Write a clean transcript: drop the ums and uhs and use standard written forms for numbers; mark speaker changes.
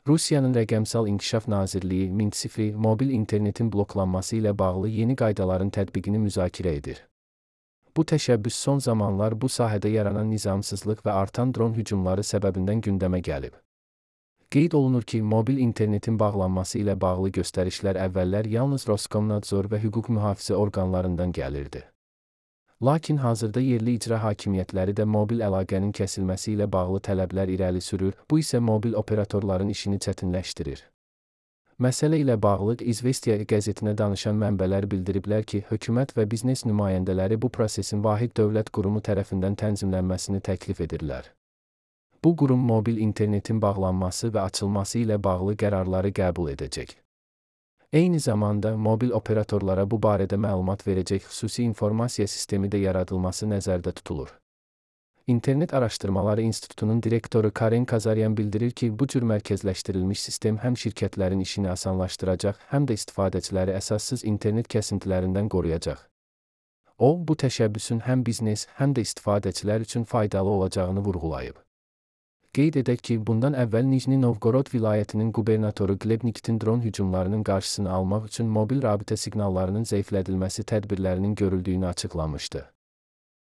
Speaker 1: Rusiyanın Rəqəmsal İnkişaf Nazirliyi Mintsifri mobil internetin bloklanması ilə bağlı yeni qaydaların tətbiqini müzakirə edir. Bu təşəbbüs son zamanlar bu sahədə yaranan nizamsızlıq və artan dron hücumları səbəbindən gündəmə gəlib. Qeyd olunur ki, mobil internetin bağlanması ilə bağlı göstərişlər əvvəllər yalnız Roskomnadzor və hüquq mühafizə orqanlarından gəlirdi. Lakin hazırda yerli icra hakimiyyətləri də mobil əlaqənin kəsilməsi ilə bağlı tələblər irəli sürür, bu isə mobil operatorların işini çətinləşdirir. Məsələ ilə bağlı İzvestiya qəzetinə danışan mənbələr bildiriblər ki, hökumət və biznes nümayəndələri bu prosesin vahid dövlət qurumu tərəfindən tənzimlənməsini təklif edirlər. Bu qurum mobil internetin bağlanması və açılması ilə bağlı qərarları qəbul edəcək. Eyni zamanda mobil operatorlara bu barədə məlumat verəcək xüsusi informasiya sistemi də yaradılması nəzərdə tutulur. İnternet Araşdırmaları İnstitutunun direktoru Karen Kazaryan bildirir ki, bu cür mərkəzləşdirilmiş sistem həm şirkətlərin işini asanlaşdıracaq, həm də istifadəçiləri əsassız internet kəsintilərindən qoruyacaq. O, bu təşəbbüsün həm biznes, həm də istifadəçilər üçün faydalı olacağını vurğulayıb. Qeyd edək ki, bundan əvvəl Nijni Novgorod vilayətinin qubernatoru Gleb Nikitin dron hücumlarının qarşısını almaq üçün mobil rabitə siqnallarının zəiflədilməsi tədbirlərinin görüldüyünü açıqlamışdı.